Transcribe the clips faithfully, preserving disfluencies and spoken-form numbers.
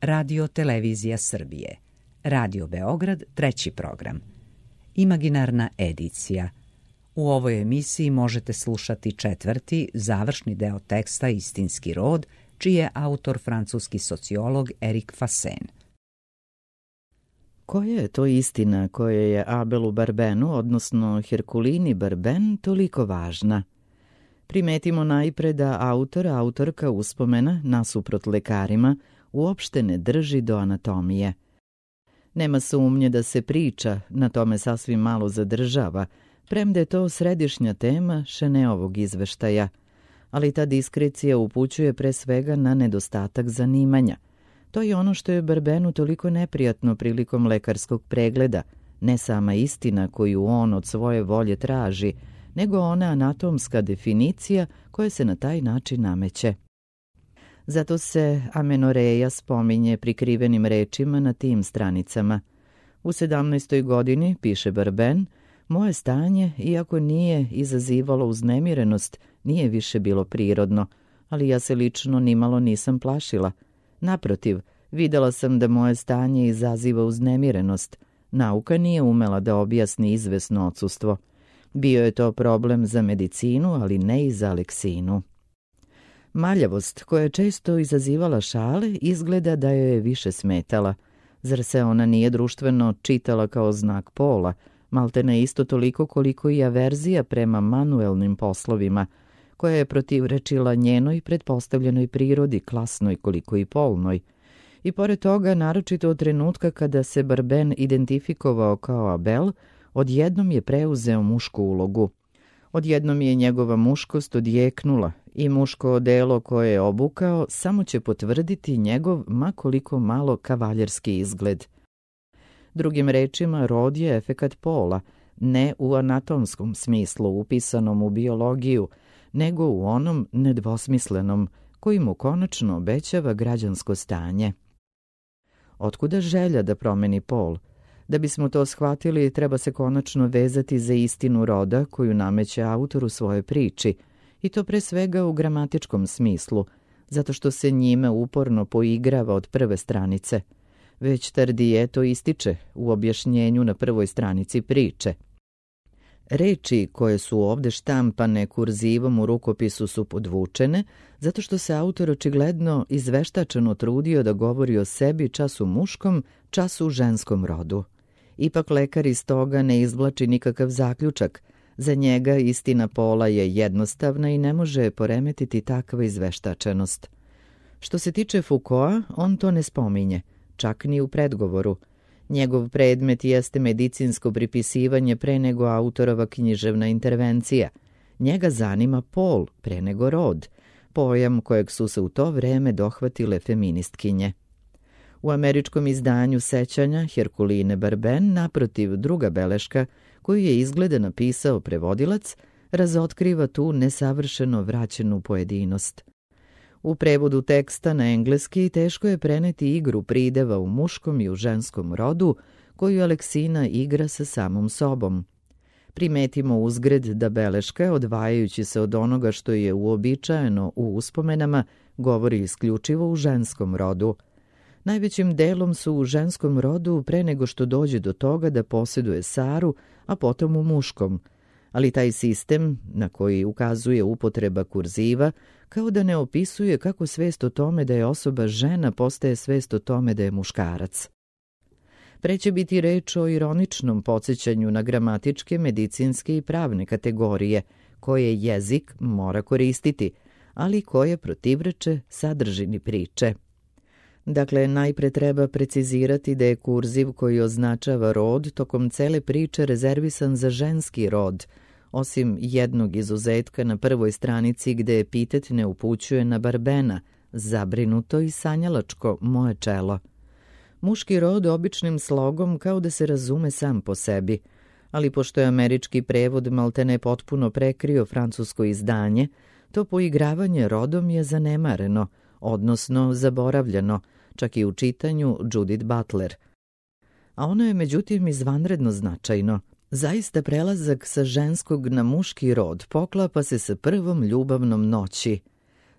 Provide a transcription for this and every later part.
Radio Televizija Srbije, Radio Beograd, treći program. Imaginarna edicija. U ovoj emisiji možete slušati četvrti, završni deo teksta Istinski rod, čiji je autor francuski sociolog Erik Fasen. Koja je to istina koja je Abelu Barbenu, odnosno Herkulini Barben, toliko važna? Primetimo najpre da autor, autorka uspomena, nasuprot lekarima, uopšte ne drži do anatomije. Nema sumnje da se priča na tome sasvim malo zadržava, premda je to središnja tema Šeneovog izveštaja, ali ta diskrecija upućuje pre svega na nedostatak zanimanja. To je ono što je Barbenu toliko neprijatno prilikom lekarskog pregleda, ne sama istina koju on od svoje volje traži, nego ona anatomska definicija koja se na taj način nameće. Zato se amenoreja spominje prikrivenim rečima na tim stranicama. U sedamnaestoj godini, piše Barben, moje stanje, iako nije izazivalo uznemirenost, nije više bilo prirodno, ali ja se lično nimalo nisam plašila. Naprotiv, videla sam da moje stanje izaziva uznemirenost. Nauka nije umela da objasni izvesno odsustvo. Bio je to problem za medicinu, ali ne i za Aleksinu. Maljavost, koja je često izazivala šale, izgleda da joj je više smetala. Zar se ona nije društveno čitala kao znak pola, maltene isto toliko koliko i averzija prema manuelnim poslovima, koja je protivrečila njenoj pretpostavljenoj prirodi, klasnoj koliko i polnoj. I pored toga, naročito od trenutka kada se Barben identifikovao kao Abel, odjednom je preuzeo mušku ulogu. Odjednom je njegova muškost odjeknula i muško odelo koje je obukao samo će potvrditi njegov ma koliko malo kavaljerski izgled. Drugim rečima, rod je efekat pola, ne u anatomskom smislu upisanom u biologiju, nego u onom nedvosmislenom koji mu konačno obećava građansko stanje. Otkuda želja da promeni pol? Da bismo to shvatili, treba se konačno vezati za istinu roda koju nameće autor u svojoj priči, i to pre svega u gramatičkom smislu, zato što se njime uporno poigrava od prve stranice. Već Tardije to ističe u objašnjenju na prvoj stranici priče. Reči koje su ovde štampane kurzivom u rukopisu su podvučene, zato što se autor očigledno izveštačeno trudio da govori o sebi čas u muškom, čas u ženskom rodu. Ipak lekar iz toga ne izvlači nikakav zaključak. Za njega istina pola je jednostavna i ne može poremetiti takva izveštačenost. Što se tiče Foucaulta, on to ne spominje, čak ni u predgovoru. Njegov predmet jeste medicinsko pripisivanje pre nego autorova književna intervencija. Njega zanima pol pre nego rod, pojam kojeg su se u to vreme dohvatile feministkinje. U američkom izdanju sećanja Herkuline Barben, naprotiv, druga beleška, koju je izgleda napisao prevodilac, razotkriva tu nesavršeno vraćenu pojedinost. U prevodu teksta na engleski teško je preneti igru prideva u muškom i u ženskom rodu, koju Aleksina igra sa samom sobom. Primetimo uzgred da beleška, odvajajući se od onoga što je uobičajeno u uspomenama, govori isključivo u ženskom rodu. Najvećim delom su u ženskom rodu pre nego što dođe do toga da posjeduje Saru, a potom u muškom. Ali taj sistem, na koji ukazuje upotreba kurziva, kao da ne opisuje kako svest o tome da je osoba žena postaje svest o tome da je muškarac. Pre će biti reč o ironičnom podsjećanju na gramatičke, medicinske i pravne kategorije, koje jezik mora koristiti, ali koje protivreče sadržini priče. Dakle, najpre treba precizirati da je kurziv koji označava rod tokom cele priče rezervisan za ženski rod, osim jednog izuzetka na prvoj stranici gde epitet ne upućuje na Barbena, zabrinuto i sanjalačko moje čelo. Muški rod običnim slogom kao da se razume sam po sebi, ali pošto je američki prevod maltene potpuno prekrio francusko izdanje, to poigravanje rodom je zanemareno, odnosno zaboravljeno, čak i u čitanju Judith Butler. A ono je međutim izvanredno značajno. Zaista prelazak sa ženskog na muški rod poklapa se sa prvom ljubavnom noći.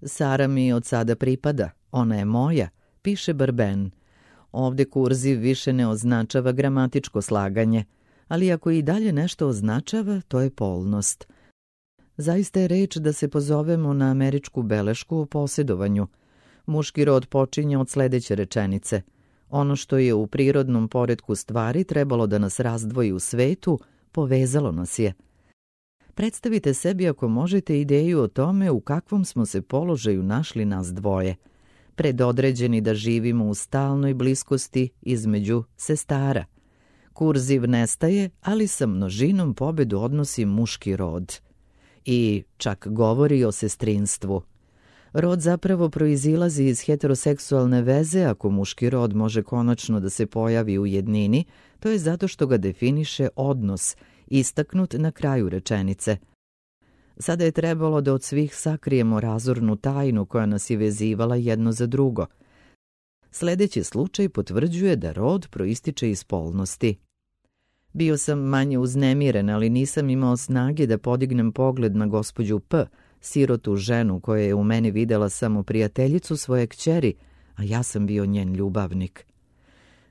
Sara mi od sada pripada, ona je moja, piše Barben. Ovde kurziv više ne označava gramatičko slaganje, ali ako i dalje nešto označava, to je polnost. Zaista je reč da se pozovemo na američku belešku o posjedovanju. Muški rod počinje od sledeće rečenice. Ono što je u prirodnom poretku stvari trebalo da nas razdvoji u svetu, povezalo nas je. Predstavite sebi ako možete ideju o tome u kakvom smo se položaju našli nas dvoje. Predodređeni da živimo u stalnoj bliskosti između sestara. Kurziv nestaje, ali sa množinom pobedu odnosi muški rod. I čak govori o sestrinstvu. Rod zapravo proizilazi iz heteroseksualne veze. Ako muški rod može konačno da se pojavi u jednini, to je zato što ga definiše odnos, istaknut na kraju rečenice. Sada je trebalo da od svih sakrijemo razornu tajnu koja nas je vezivala jedno za drugo. Sledeći slučaj potvrđuje da rod proističe iz polnosti. Bio sam manje uznemiren, ali nisam imao snage da podignem pogled na gospođu P., sirotu ženu koja je u meni videla samo prijateljicu svoje kćeri, a ja sam bio njen ljubavnik.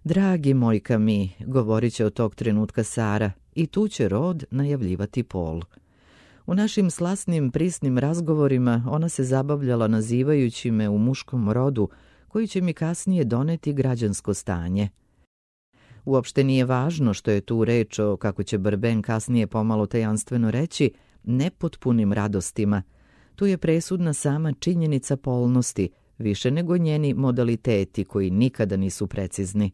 Dragi moj Kami, govorit će od tog trenutka Sara, i tu će rod najavljivati pol. U našim slasnim, prisnim razgovorima ona se zabavljala nazivajući me u muškom rodu, koji će mi kasnije doneti građansko stanje. Uopšte nije važno što je tu reč o, kako će Barben kasnije pomalo tajanstveno reći, nepotpunim radostima. Tu je presudna sama činjenica polnosti, više nego njeni modaliteti koji nikada nisu precizni.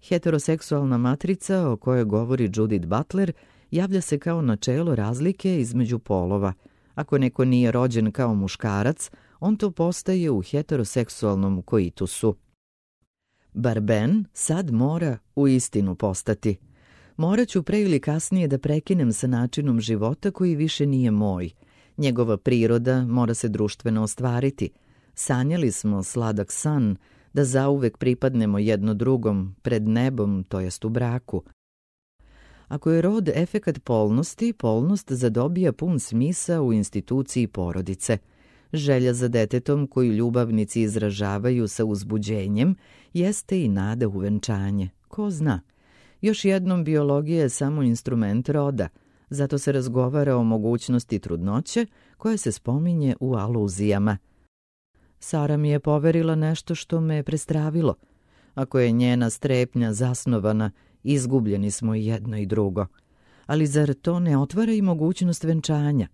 Heteroseksualna matrica o kojoj govori Judith Butler javlja se kao načelo razlike između polova. Ako neko nije rođen kao muškarac, on to postaje u heteroseksualnom koitusu. Barben sad mora u istinu postati. Morat ću pre ili kasnije da prekinem sa načinom života koji više nije moj. Njegova priroda mora se društveno ostvariti. Sanjali smo sladak san, da zauvek pripadnemo jedno drugom, pred nebom, to jest u braku. Ako je rod efekat polnosti, polnost zadobija pun smisa u instituciji porodice. Želja za detetom koju ljubavnici izražavaju sa uzbuđenjem jeste i nada u venčanje. Ko zna? Još jednom, biologija je samo instrument roda, zato se razgovara o mogućnosti trudnoće koja se spominje u aluzijama. Sara mi je poverila nešto što me je prestravilo. Ako je njena strepnja zasnovana, izgubljeni smo i jedno i drugo. Ali zar to ne otvara i mogućnost venčanja?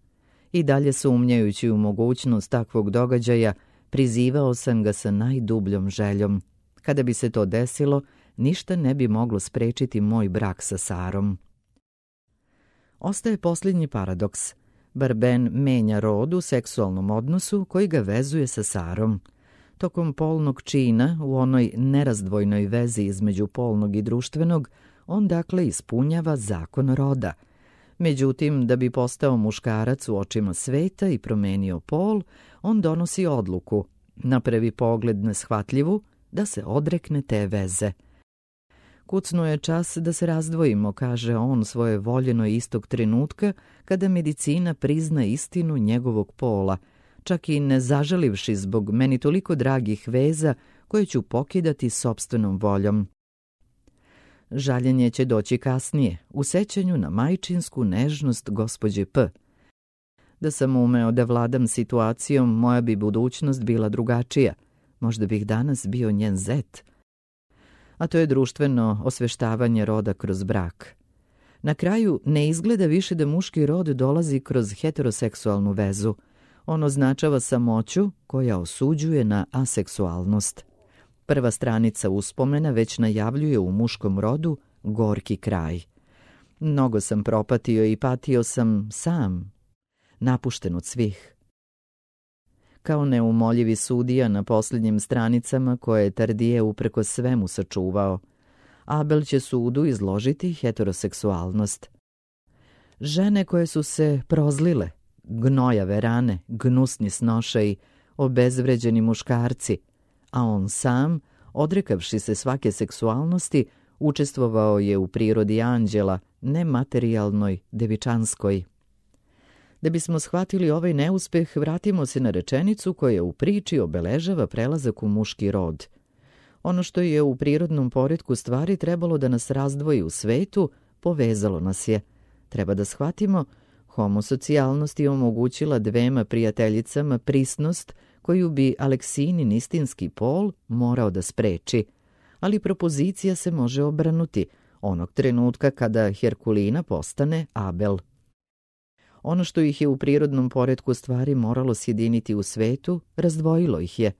I dalje sumnjajući u mogućnost takvog događaja, prizivao sam ga sa najdubljom željom. Kada bi se to desilo, ništa ne bi moglo sprečiti moj brak sa Sarom. Ostaje posljednji paradoks. Barben menja rod u seksualnom odnosu koji ga vezuje sa Sarom. Tokom polnog čina, u onoj nerazdvojnoj vezi između polnog i društvenog, on dakle ispunjava zakon roda. Međutim, da bi postao muškarac u očima sveta i promenio pol, on donosi odluku, na prvi pogled neshvatljivu, da se odrekne te veze. Kucnuo je čas da se razdvojimo, kaže on svoje voljeno istog trenutka kada medicina prizna istinu njegovog pola, čak i ne zažalivši zbog meni toliko dragih veza koje ću pokidati sopstvenom voljom. Žaljenje će doći kasnije, u sećanju na majčinsku nežnost gospođe P. Da sam umeo da vladam situacijom, moja bi budućnost bila drugačija. Možda bih danas bio njen zet. A to je društveno osveštavanje roda kroz brak. Na kraju ne izgleda više da muški rod dolazi kroz heteroseksualnu vezu. On označava samoću koja osuđuje na aseksualnost. Prva stranica uspomena već najavljuje u muškom rodu gorki kraj. Mnogo sam propatio i patio sam sam, napušten od svih. Kao neumoljivi sudija na posljednjim stranicama koje je Tardije upreko svemu sačuvao, Abel će sudu izložiti heteroseksualnost. Žene koje su se prozlile, gnojave rane, gnusni snošaji, obezvređeni muškarci, a on sam, odrekavši se svake seksualnosti, učestvovao je u prirodi anđela, nematerijalnoj, devičanskoj. Da bismo shvatili ovaj neuspeh, vratimo se na rečenicu koja u priči obeležava prelazak u muški rod. Ono što je u prirodnom poretku stvari trebalo da nas razdvoji u svetu, povezalo nas je. Treba da shvatimo, homosocijalnost je omogućila dvema prijateljicama prisnost koju bi Aleksinin istinski pol morao da spreči. Ali propozicija se može obrnuti onog trenutka kada Herkulina postane Abel. Ono što ih je u prirodnom poretku stvari moralo sjediniti u svetu, razdvojilo ih je.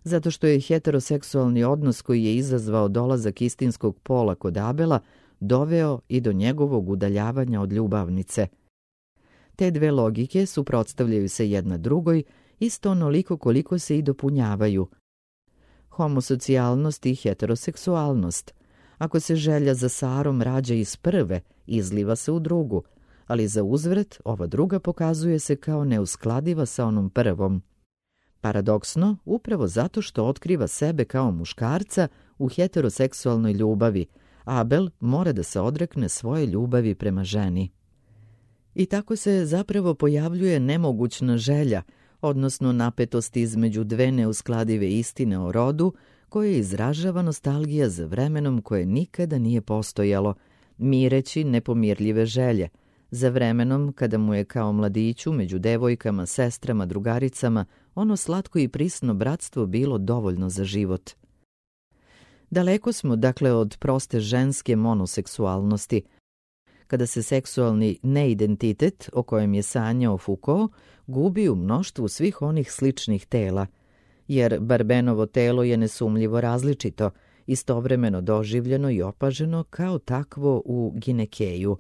Zato što je heteroseksualni odnos koji je izazvao dolazak istinskog pola kod Abela doveo i do njegovog udaljavanja od ljubavnice. Te dve logike suprotstavljaju se jedna drugoj, isto onoliko koliko se i dopunjavaju. Homosocijalnost i heteroseksualnost. Ako se želja za Sarom rađa iz prve, izliva se u drugu, ali za uzvrat ova druga pokazuje se kao neuskladiva sa onom prvom. Paradoksno, upravo zato što otkriva sebe kao muškarca u heteroseksualnoj ljubavi, Abel mora da se odrekne svoje ljubavi prema ženi. I tako se zapravo pojavljuje nemogućna želja, odnosno napetost između dve neuskladive istine o rodu, koje izražava nostalgija za vremenom koje nikada nije postojalo, mireći nepomirljive želje, za vremenom kada mu je kao mladiću među devojkama, sestrama, drugaricama ono slatko i prisno bratstvo bilo dovoljno za život. Daleko smo, dakle, od proste ženske monoseksualnosti, kada se seksualni neidentitet, o kojem je sanjao Foucault, gubi u mnoštvu svih onih sličnih tela, jer Barbenovo telo je nesumljivo različito, istovremeno doživljeno i opaženo kao takvo u Ginekeju.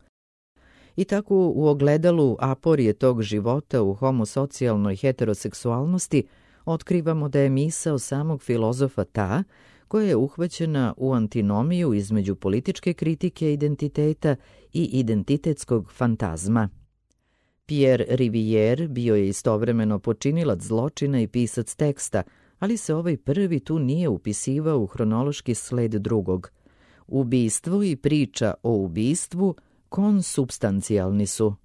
I tako u ogledalu aporije tog života u homosocijalnoj heteroseksualnosti otkrivamo da je misao samog filozofa ta koja je uhvaćena u antinomiju između političke kritike identiteta i identitetskog fantazma. Pierre Rivière bio je istovremeno počinilac zločina i pisac teksta, ali se ovaj prvi tu nije upisivao u hronološki sled drugog. Ubistvo i priča o ubistvu konsubstancijalni su.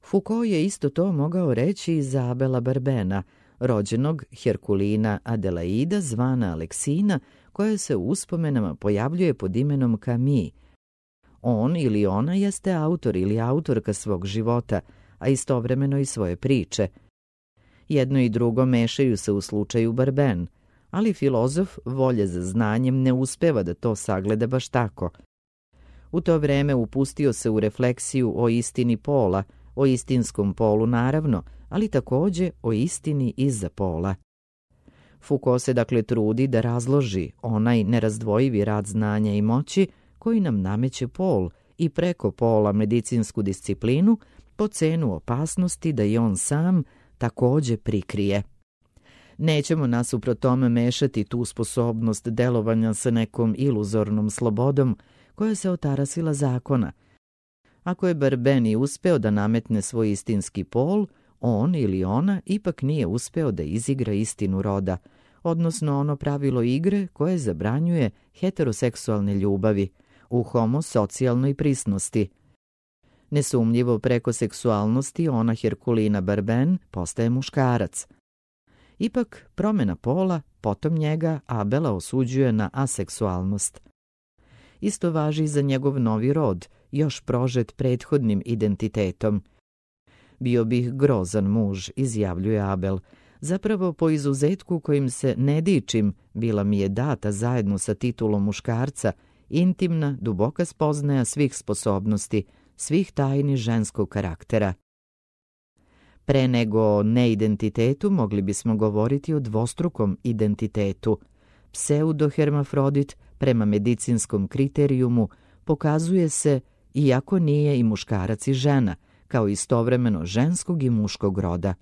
Foucault je isto to mogao reći i za Abela Barbena, rođenog Herkulina Adelaida zvana Aleksina, koja se u uspomenama pojavljuje pod imenom Camille. On ili ona jeste autor ili autorka svog života, a istovremeno i svoje priče. Jedno i drugo mešaju se u slučaju Barben, ali filozof volje za znanjem ne uspeva da to sagleda baš tako. U to vreme upustio se u refleksiju o istini pola, o istinskom polu naravno, ali takođe o istini iza pola. Foucault se dakle trudi da razloži onaj nerazdvojivi rad znanja i moći koji nam nameće pol i preko pola medicinsku disciplinu po cenu opasnosti da i on sam takođe prikrije. Nećemo nasuprot tome mešati tu sposobnost delovanja sa nekom iluzornom slobodom koja se otarasila zakona. Ako je Barben i uspeo da nametne svoj istinski pol, on ili ona ipak nije uspeo da izigra istinu roda, odnosno ono pravilo igre koje zabranjuje heteroseksualne ljubavi u homosocijalnoj prisnosti. Nesumnjivo preko seksualnosti ona Herkulina Barben postaje muškarac. Ipak promjena pola potom njega Abela osuđuje na aseksualnost. Isto važi za njegov novi rod, još prožet prethodnim identitetom. Bio bih grozan muž, izjavljuje Abel. Zapravo po izuzetku kojim se ne dičim, bila mi je data zajedno sa titulom muškarca, intimna, duboka spoznaja svih sposobnosti, svih tajni ženskog karaktera. Pre nego o neidentitetu mogli bismo govoriti o dvostrukom identitetu. Pseudohermafrodit prema medicinskom kriterijumu pokazuje se, iako nije i muškarac i žena, kao istovremeno ženskog i muškog roda.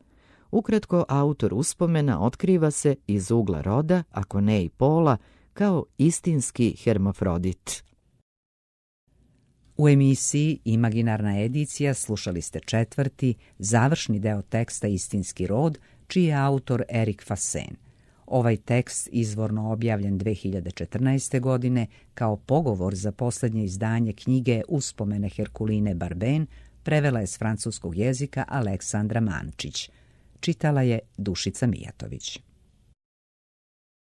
Ukratko, autor uspomena otkriva se iz ugla roda, ako ne i pola, kao istinski hermafrodit. U emisiji Imaginarna edicija slušali ste četvrti, završni deo teksta Istinski rod, čiji je autor Erik Fasen. Ovaj tekst izvorno objavljen dve hiljade četrnaeste. godine kao pogovor za posljednje izdanje knjige Uspomene Herkuline Barben prevela je s francuskog jezika Aleksandra Mančić. Čitala je Dušica Mijatović.